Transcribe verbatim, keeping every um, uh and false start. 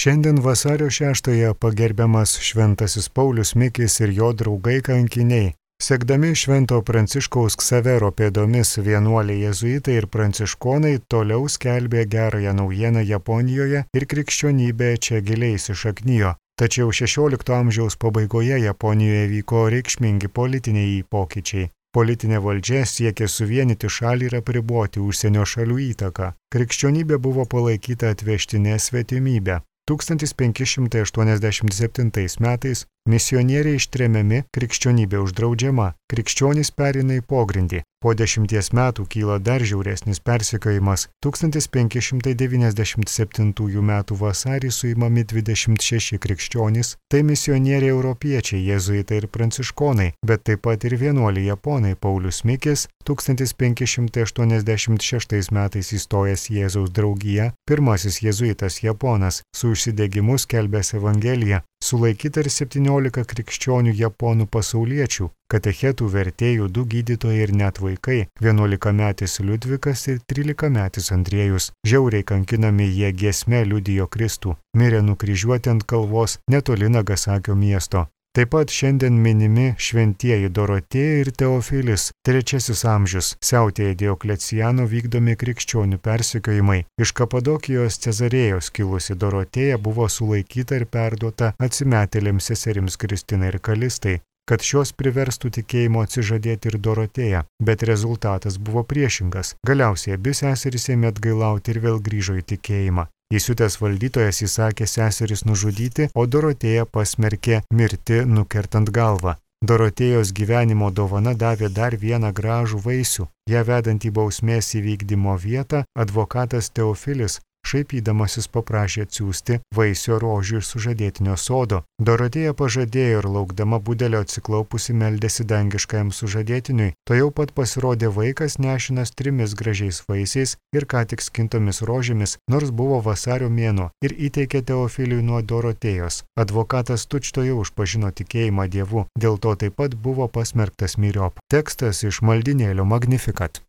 Šiandien vasario šeštąją pagerbiamas Šventasis Paulius Mikis ir jo draugai kankiniai. Sekdami Švento Pranciškaus Ksavero pėdomis vienuoliai jėzuitai ir pranciškonai toliau skelbė gerąją naujieną Japonijoje ir krikščionybė čia giliai įsišaknijo. Tačiau šešiolikto amžiaus pabaigoje Japonijoje vyko reikšmingi politiniai pokyčiai. Politinė valdžia siekė suvienyti šalį ir apriboti užsienio šalių įtaką. Krikščionybė buvo palaikyta atvežtinė svetimybė. tūkstantis penki šimtai aštuoniasdešimt septintais metais misionieriai ištremiami, krikščionybė uždraudžiama, krikščionys pereina į pogrindį. Po dešimties metų kyla dar žiauresnis persekiojimas. tūkstantis penki šimtai devyniasdešimt septintųjų metų vasarį suimami dvidešimt šeši krikščionys, tai misionieriai europiečiai, jėzuitai ir pranciškonai, bet taip pat ir vienuoliai japonai Paulius Mikis, tūkstantis penki šimtai aštuoniasdešimt šeštais metais įstojęs Jėzaus draugiją, pirmasis jėzuitas japonas, su užsidegimu skelbęs Evangeliją. Sulaikyta ir septyniolika krikščionių japonų pasauliečių, katechetų, vertėjų, du gydytojai ir net vaikai, vienuolikametis Liudvikas ir trylikametis Andriejus. Žiauriai kankinami jie giesme liudijo Kristų, mirė nukryžiuoti ant kalvos netoli Nagasakio miesto. Taip pat šiandien minimi šventieji Dorotėja ir Teofilis, trečiasis amžius, siautėja Diokleciano vykdomi krikščionių persekiojimai. Iš Kapadokijos Cezarėjos kilusi Dorotėja buvo sulaikyta ir perduota atsimetėlėms seserims Kristinai ir Kalistai, kad šios priverstų tikėjimo atsižadėti ir Dorotėją, bet rezultatas buvo priešingas. Galiausiai abi seserys ėmė atgailauti ir vėl grįžo į tikėjimą. Įsiutęs valdytojas įsakė seseris nužudyti, o Dorotėją pasmerkė mirti nukertant galvą. Dorotėjos gyvenimo dovana davė dar vieną gražų vaisių. Ją vedant į bausmės įvykdymo vietą, advokatas Teofilis šaipydamasis paprašė atsiųsti vaisio rožių iš sužadėtinio sodo. Dorotėja pažadėjo ir laukdama budelio atsiklaupusi meldėsi dangiškajam sužadėtiniui. To jau pat pasirodė vaikas nešinas trimis gražiais vaisiais ir ką tik skintomis rožėmis, nors buvo vasario mėnuo, ir įteikė Teofiliui nuo Dorotėjos. Advokatas tučtuojau užpažino tikėjimą Dievu, dėl to taip pat buvo pasmerktas myriop. Tekstas iš maldinėlio Magnificat.